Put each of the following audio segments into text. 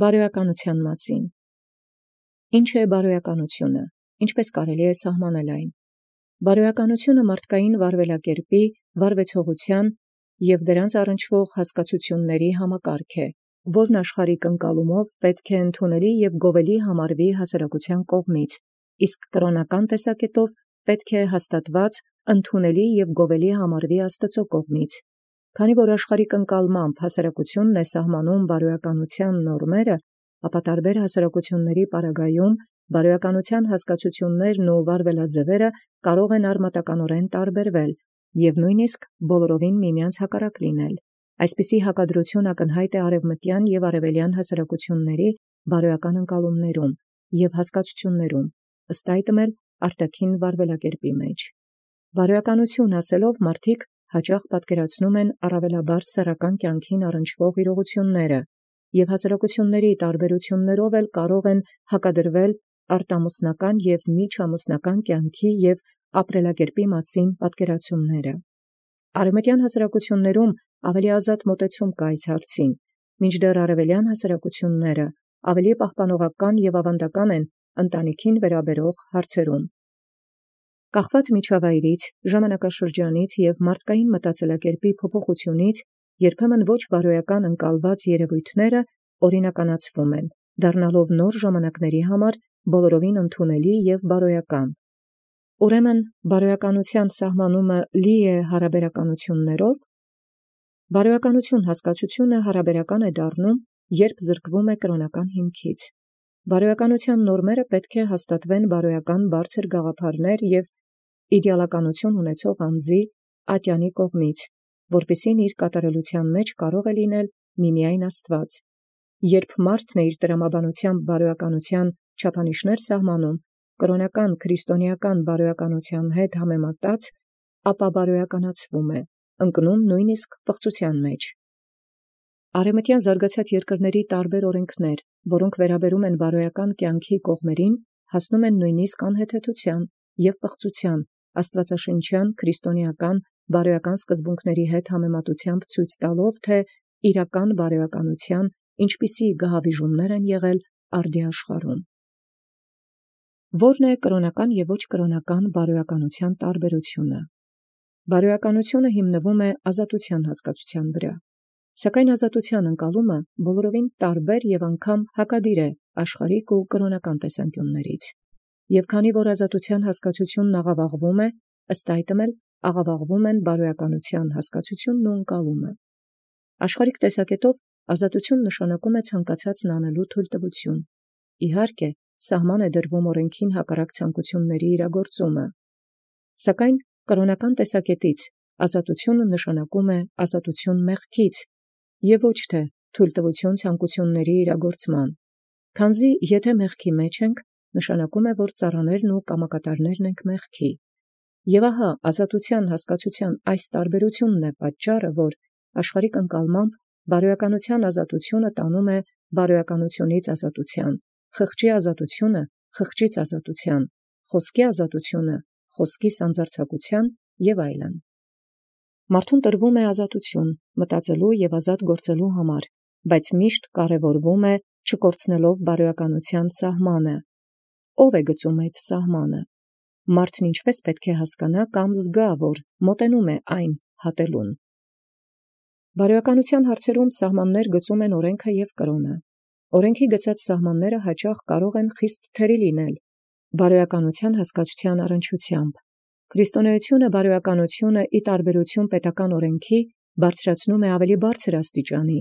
Բարոյականության մասին։ Ինչ է բարոյականությունը, ինչպես կարելի է սահմանել այն։ Բարոյականությունը մարդկային վարվելակերպի, վարվեցողության և դրանց առնչվող հասկացությունների համակարգ է, որն աշխարհիկ ընկալումով պետք է ընդունելի և գովելի համարվի հասարակության կողմից, իսկ կրոնական տեսակետով պետք է հաստատված, ընդունելի և գովելի համարվի Աստծո կողմից։ Քանի որ աշխարհիկ ընկալմամբ հասարակությունն է սահմանում բարոյականության նորմերը, ապա տարբեր հասարակությունների պարագայում բարոյականության հասկացություններն ու վարվելաձևերը կարող են արմատականորեն տարբերվել և նույնիսկ բոլորովին միմյանց հակառակ լինել։ Այսպիսի հակադրություն ակնհայտ է արևմտյան և արևելյան հասարակությունների բարոյական ընկալումներում և հասկացություններում, ըստ այդմ էլ արտաքին վարվելակերպի մեջ։ Բարոյականություն ասելով մարդիկ հաճախ պատկերացնում են առավելաբար սեռական կյանքին առնչվող իրողությունները և հասարակությունների տարբերություններով էլ կարող են հակադրվել արտամուսնական և միջամուսնական կյանքի և ապրելակերպի մասին պատկերացումները։ Արևմտյան հասարակություններում ավելի ազատ մոտեցում կա այս հարցին, մինչդեռ արևելյան հասարակությունները ավելի պահպանողական և ավանդական են ընտանիքին վերաբերող հարցերում։ Կախված միջավայրից, ժամանակաշրջանից և մարդկային մտածելակերպի փոփոխությունից երբեմն ոչ բարոյական ընկալված երևույթները օրինականացվում են, դառնալով նոր ժամանակների համար բոլորովին ընդունելի և բարոյական։ Ուրեմն բարոյականության սահմանումը լի է հարաբերականություններով։ Բարոյականություն հասկացությունը հարաբերական է դառնում, երբ զրկվում է կրոնական հիմքից։ Բարոյականության նորմերը պետք է հաստատվեն բարոյական բարձր գաղափարներ և իդեալականություն ունեցող անձի ատյանի կողմից, որպեսզի իր կատարելության մեջ կարող է լինել միմիայն Աստված։ Երբ մարդն է իր տրամաբանությամբ բարոյականության չափանիշներ սահմանում, կրոնական քրիստոնեական բարոյականության հետ համեմատած, ապա բարոյականացվում է, ընկնում նույնիսկ պղծության մեջ։ Արևմտյան զարգացած երկրների տարբեր օրենքներ, որոնք վերաբերում են բարոյական կյանքի կողմերին, հասնում են նույնիսկ անհեթեթության և պղծության, աստվածաշնչյան քրիստոնեական բարոյական սկզբունքների հետ համեմատությամբ ցույց տալով, թե իրական բարոյականության ինչպիսի գահավիժումներ են եղել արդի աշխարհում։ Ո՞րն է կրոնական և ոչ կրոնական բարոյականության տարբերությունը։ Բարոյականությունը հիմնվում է ազատության հասկացության վրա, սակայն ազատության ընկալումը բոլորովին տարբեր և անգամ հակադիր է աշխարհիկ ու կրոնական տեսանկյուններից։ Եվ քանի որ ազատության հասկացությունն աղավաղվում է, ըստ այդմ էլ աղավաղվում են բարոյականության հասկացությունն ու ընկալումը։ Աշխարհիկ տեսակետով ազատություն նշանակում է ցանկացածն անելու թույլտվություն։ Իհարկե, սահման է դրվում օրենքին հակառակ ցանկությունների իրագործումը։ Սակայն կրոնական տեսակետից ազատությունը նշանակում է ազատություն մեղքից և ոչ թե թույլտվություն ցանկությունների իրագործման, քանզի եթե մեղքի մեջ ենք, նշանակում է, որ ծառաներն ու կամակատարներն ենք մեղքի։ Եվ ահա ազատության հասկացության այս տարբերությունն է պատճառը, որ աշխարհիկ ընկալմամբ բարոյականության ազատությունը տանում է բարոյականությունից ազատության, խղճի ազատությունը խղճից ազատության, խոսքի ազատությունը խոսքի սանձարձակության և այլն։ Մարդուն տրվում է ազատություն մտածելու և ազատ գործելու համար, բայց միշտ կարևորվում է չկորցնելով բարոյականության սահմանը։ Ո՞վ է գծում այդ սահմանը։ Մարդն ինչպես պետք է հասկանա կամ զգա, որ մոտենում է այն հատելուն։ Բարոյականության հարցերում սահմաններ գծում են օրենքը և կրոնը։ Օրենքի գծած սահմանները հաճախ կարող են խիստ թերի լինել բարոյականության հասկացության առնչությամբ։ Քրիստոնեությունը բարոյականությունը ի տարբերություն պետական օրենքի բարձրացնում է ավելի բարձր աստիճանի,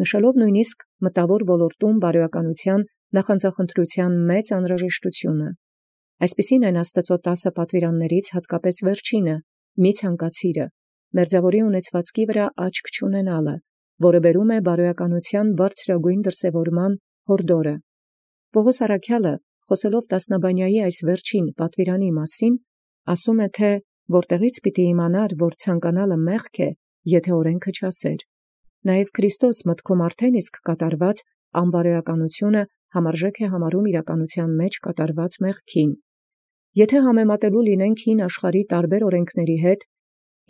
նշելով նույնիսկ մտավոր ոլորտում բարոյականության նախանձախնդրության մեծ անհրաժեշտությունը։ Այսպիսին են Աստծո 10 պատվիրաններից հատկապես վերջինը՝ մի ցանկացիրը, մերձավորի ունեցվածքի վրա աչք չունենալը, որը բերում է բարոյականության բարձրագույն դրսևորման հորդորը։ Պողոս առաքյալը, խոսելով Տասնաբանյայի այս վերջին պատվիրանի մասին, ասում է, թե որտեղից պիտի իմանար, որ ցանկանալը մեղք է, եթե օրենքը չասեր։ Նաև Քրիստոս մտքում արդեն իսկ կատարված անբարոյականությունը համարժեք է համարում իրականության մեջ կատարված մեղքին։ Եթե համեմատելու լինենք հին աշխարհի տարբեր օրենքների հետ,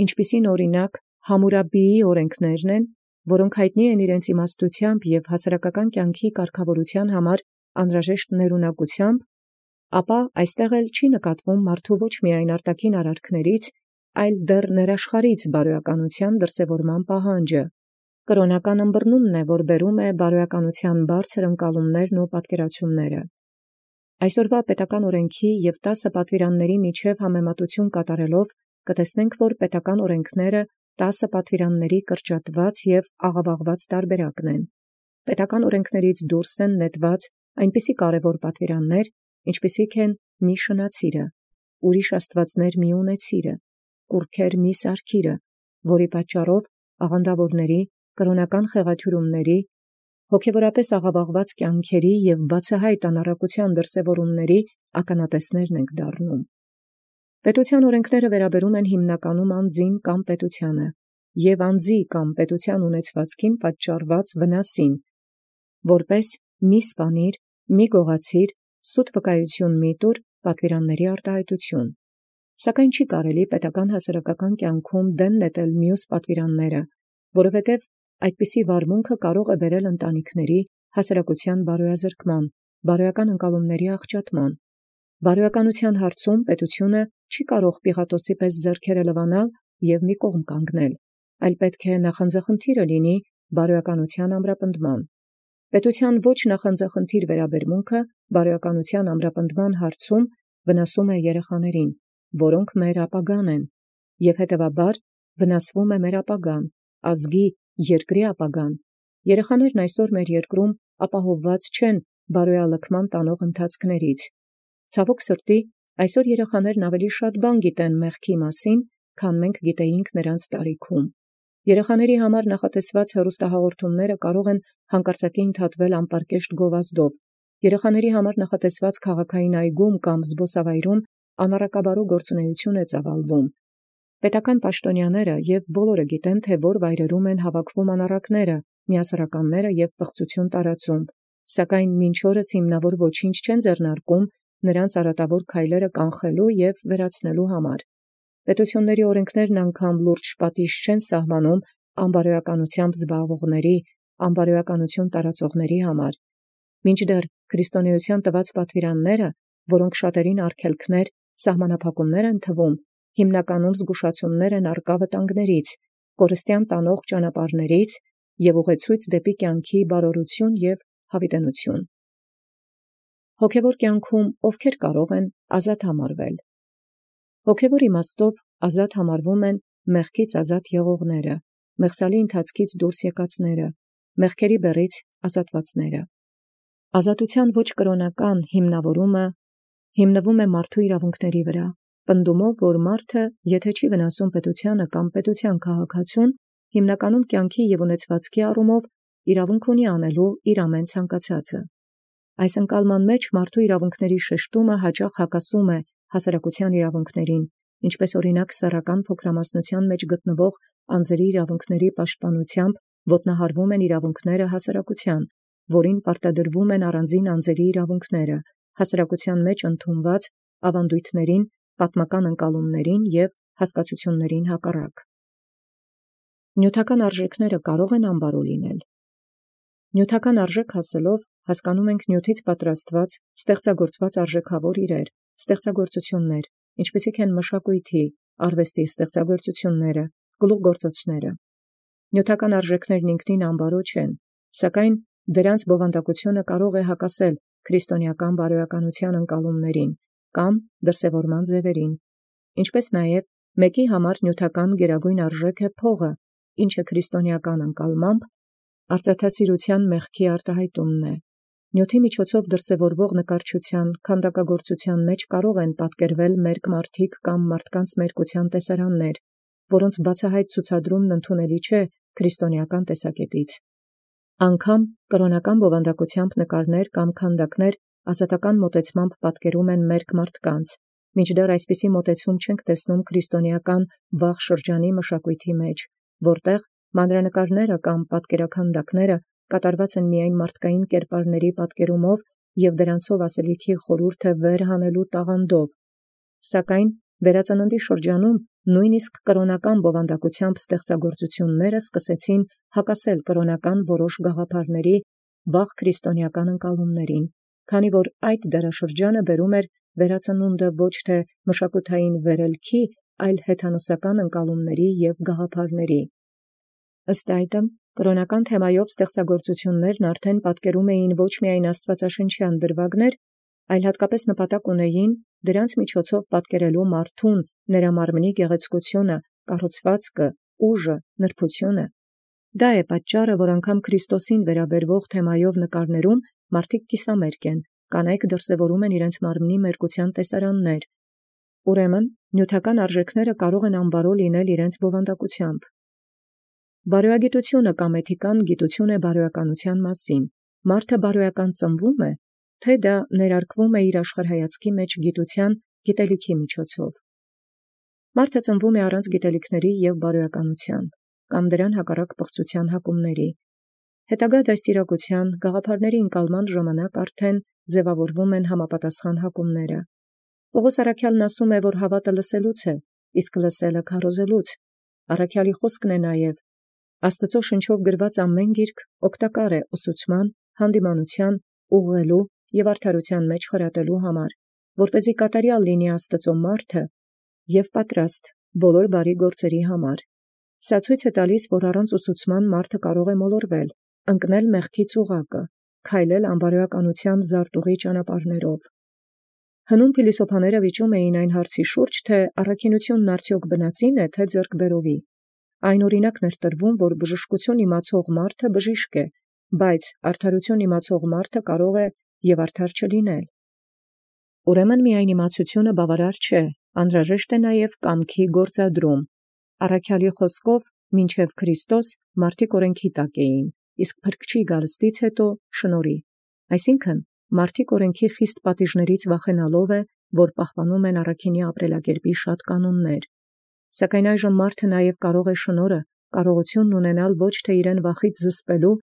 ինչպիսին օրինակ Համուրաբիի օրենքներն են, որոնք հայտնի են իրենց իմաստութեամբ և հասարակական կյանքի կարգավորութեան համար անհրաժեշտ ներունակութեամբ, ապա այստեղ էլ չի նկատվում մարդու ոչ միայն արտաքին արարքներից, այլ դեռ ներաշխարհից բարոյականութեան դրսևորման պահանջը։ Կրոնական ըմբռնումն է, որ բերում է բարոյականութեան բարձր ընկալումներն ու պատկերացումները։ Այսօրվա պետական օրենքի և 10 պատվիրանների միջև համեմատություն կատարելով, կտեսնենք, որ պետական օրենքները 10 պատվիրանների կրճատված և աղավաղված տարբերակն են։ Պետական օրենքներից դուրս են նետված այնպիսի կարևոր պատվիրաններ, ինչպիսիք են մի շնացիրը, ուրիշ աստվածներ մի ունեցիրը, կուռքեր մի սարքիրը, որի պատճառով աղանդավորների, կրոնական խեղաթյուրումների, հոգևորապես աղավաղված կյանքերի և բացահայտ անառակության դրսևորումների ականատեսներն ենք դառնում։ Պետության օրենքները վերաբերում են հիմնականում անձին կամ պետությանը և անձի կամ պետության ունեցվածքին պատճառված վնասին, որպես մի սպանիր, մի գողացիր, սուտ վկայություն մի տուր, պատվիրանների արտահայտություն։ Սակայն չի կարելի պետական հասարակական կյանքում դեն նետել մյուս պատվիրանները, որովհետև այդպիսի վարմունքը կարող է բերել ընտանիքների հասարակության բարոյազրկման, բարոյական ընկալումների աղճատման։ Բարոյականության հարցում պետությունը չի կարող Պիղատոսի պես ձեռքերը լվանալ և մի կողմ կանգնել, այլ պետք է նախանձախնդիրը լինի բարոյականության ամրապնդման։ Պետության ոչ նախանձախնդիր վերաբերմունքը բարոյականության ամրապնդման հարցում վնասում է երեխաներին, որոնք մեր ապագան են, և հետևաբար վնասվում է մեր ապագան, ազգի, երկրի ապագան։ Երեխաներն այսօր մեր երկրում ապահովված չեն բարոյալքման տանող ընթացքներից։ Ցավոք սրտի, այսօր երեխաներն ավելի շատ բան գիտեն մեղքի մասին, քան մենք գիտեինք նրանց տարիքում։ Երեխաների համար նախատեսված հեռուստահաղորդումները կարող են հանկարծակի ընդհատվել անպարկեշտ գովազդով։ Երեխաների համար նախատեսված քաղաքային այգում կամ զբոսավայրում անառակաբարու գործունեություն է ծավալվում։ Պետական պաշտոնյաները և բոլորը գիտեն, թե որ վայրերում են հավաքվում անառակները, միասեռականները և պղծություն տարածում, սակայն մինչ օրս հիմնավոր ոչինչ չեն ձեռնարկում նրանց արատավոր քայլերը կանխելու և վերացնելու համար։ Պետությունների օրենքներն անգամ լուրջ պատիժ չեն սահմանում անբարոյականությամբ զբաղվողների, անբարոյականություն տարածողների համար, մինչդեռ քրիստոնեության տված պատվիրանները, որոնք շատերին արգելքներ, սահմանափակումներ են թվում, հիմնականում զգուշացումներ են առկա վտանգներից, կորստյան տանող ճանապարհներից և ուղեցույց դեպի կյանքի բարօրություն և հավիտենություն։ Հոգևոր կյանքում ովքեր կարող են ազատ համարվել։ Հոգևոր իմաստով ազատ համարվում են մեղքից ազատ եղողները, մեղսալի ընթացքից դուրս եկածները, մեղքերի բեռից ազատվածները։ Ազատության ոչ կրոնական հիմնավորումը հիմնվում է մարդու իրավունքների վրա, պնդումով, որ մարդը, եթե չի վնասում պետությանը կամ պետության քաղաքացուն, հիմնականում կյանքի և ունեցվածքի առումով իրավունք ունի անելու իր ամեն ցանկացածը։ Այս ընկալման մեջ մարդու իրավունքների շեշտումը հաճախ հակասում է հասարակության իրավունքներին, ինչպես օրինակ սեռական փոքրամասնության մեջ գտնվող անձերի իրավունքների պաշտպանությամբ ոտնահարվում են իրավունքները հասարակության, որին պարտադրվում են առանձին անձերի իրավունքները, հասարակության մեջ ընդունված ավանդույթներին, պատմական ընկալումներին և հասկացություններին հակառակ։ Նյութական արժեքները կարող են անբարո լինել։ Նյութական արժեք ասելով հասկանում ենք նյութից պատրաստված, ստեղծագործված արժեքավոր իրեր, ստեղծագործություններ, ինչպիսիք են մշակույթի, արվեստի ստեղծագործությունները, գլուխգործոցները։ Նյութական արժեքներն ինքնին անբարո չեն, սակայն դրանց բովանդակությունը կարող է հակասել քրիստոնեական բարոյականության ընկալումներին կամ դրսևորման ձևերին, ինչպես նաև մեկի համար նյութական գերագույն արժեք է փողը, ինչը քրիստոնեական ընկալմամբ արծաթասիրության մեղքի արտահայտումն է։ Նյութի միջոցով դրսևորվող նկարչության, քանդակագործության մեջ կարող են պատկերվել մերկ մարդիկ կամ մարդկանց մերկության տեսարաններ, որոնց բացահայտ ցուցադրումն ընդունելի չէ քրիստոնեական տեսակետից։ Անգամ կրոնական բովանդակությամբ նկարներ կամ քանդակներ ազատական մոտեցմամբ պատկերում են մերկ մարդկանց, մինչդեռ այսպիսի մոտեցում չենք տեսնում քրիստոնեական վաղ շրջանի մշակույթի մեջ, որտեղ մանրանկարները կամ պատկերաքանդակները կատարված են միայն մարդկային կերպարների պատկերումով և դրանցով ասելիքի խորհուրդը վեր հանելու տաղանդով, սակայն վերածննդի շրջանում նույնիսկ կրոնական բովանդակությամբ ստեղծագործությունները սկսեցին հակասել կրոնական որոշ գաղափարների վաղ քրիստոնեական ընկալումներին, քանի որ այդ դարաշրջանը բերում էր վերածնունդը ոչ թե մշակութային վերելքի, այլ հեթանոսական ընկալումների և գաղափարների։ Ըստ այդմ, կրոնական թեմայով ստեղծագործություններն արդեն պատկերում էին ոչ միայն աստվածաշնչյան դրվագներ, այլ հատկապես նպատակ ունեին դրանց միջոցով պատկերելու մարդուն, նրա մարմնի գեղեցկությունը, կառուցվածքը, ուժը, նրբությունը։ Դա է պատճառը, որ անգամ Քրիստոսին վերաբերվող թեմայով նկարներում մարդիկ կիսամերկ են, կանայք դրսևորում են իրենց մարմնի մերկության տեսարաններ։ Ուրեմն, նյութական արժեքները կարող են անբարո լինել իրենց բովանդակությամբ։ Բարոյագիտությունը կամ էթիկան գիտություն է բարոյականության մասին։ Մարդը բարոյական ծնվում է, թե դա ներարկվում է իր աշխարհայացքի մեջ գիտության, գիտելիքի միջոցով։ Մարդը ծնվում է առանց գիտելիքների և բարոյականության, կամ դրան հակառակ պղծության հակումների։ Հետագա դաստիարակության, գաղափարների ընկալման ժամանակ արդեն ձևավորվում են համապատասխան հակումները։ Պողոս առաքյալն ասում է, որ հավատը լսելուց է, իսկ լսելը քարոզելուց։ Առաքյալի խոսքն է նաև. Աստծո շնչով գրված ամեն գիրք օգտակար է ուսուցման, հանդիմանության, ուղղելու և արդարության մեջ խրատելու համար, որպեսզի կատարյալ լինի Աստծո մարդը և պատրաստ բոլոր բարի գործերի համար։ Սա ցույց է տալիս, որ առանց ուսուցման մարդը կարող է մոլորվել, ընկնել մեղքի ծուղակը, քայլել անբարոյականության զարտուղի ճանապարհներով։ Հնում փիլիսոփաները վիճում էին այն հարցի շուրջ, թե առաքինությունն արդյոք բնածին է, թե ձեռքբերովի։ Այն օրինակն էր տրվում, որ բժշկություն իմացող մարդը բժիշկ է, բայց արդարություն իմացող մարդը կարող է և արդար չլինել։ Ուրեմն միայն իմացությունը բավարար չէ, անհրաժեշտ է նաև կամքի գործադրում։ Առաքյալի խոսքով, մինչև Քրիստոս մարդիկ օրենքի տակ էին, իսկ փրկչի գալստից հետո շնորհի։ Այսինքն, մարդիկ օրենքի խիստ պատիժներից վախենալով է, որ պահպանում են առաքինի ապրելակերպի շատ կանոններ։ Սակայն այժմ մարդը նաև կարող է շնորհը, կարողությունն ունենալ ոչ թե իրեն վախից զսպելու,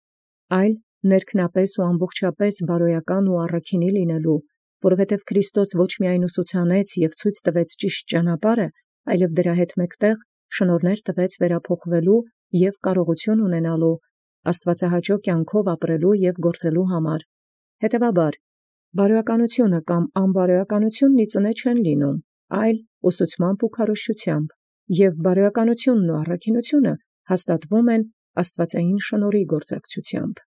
այլ ներքնապես ու ամբողջապես բարոյական ու առաքինի լինելու, որովհետև Քրիստոս ոչ միայն ուսուցանեց և ցույց տվեց ճիշտ ճանապարհը, այլև դրա հետ մեկտեղ շնորհներ տվեց վերափոխվելու և կարողություն ունենալու, աստվածահաճո կյանքով ապրելու և գործելու համար։ Հետևաբար, բարոյականությունը կամ անբարոյականությունն ի ծնե չեն լինում, այլ ուսուցմամբ ու քարոզչությամբ, և բարոյականությունն ու առաքինությունը հաստատվում են աստվածային շնորհի գործակցությամբ։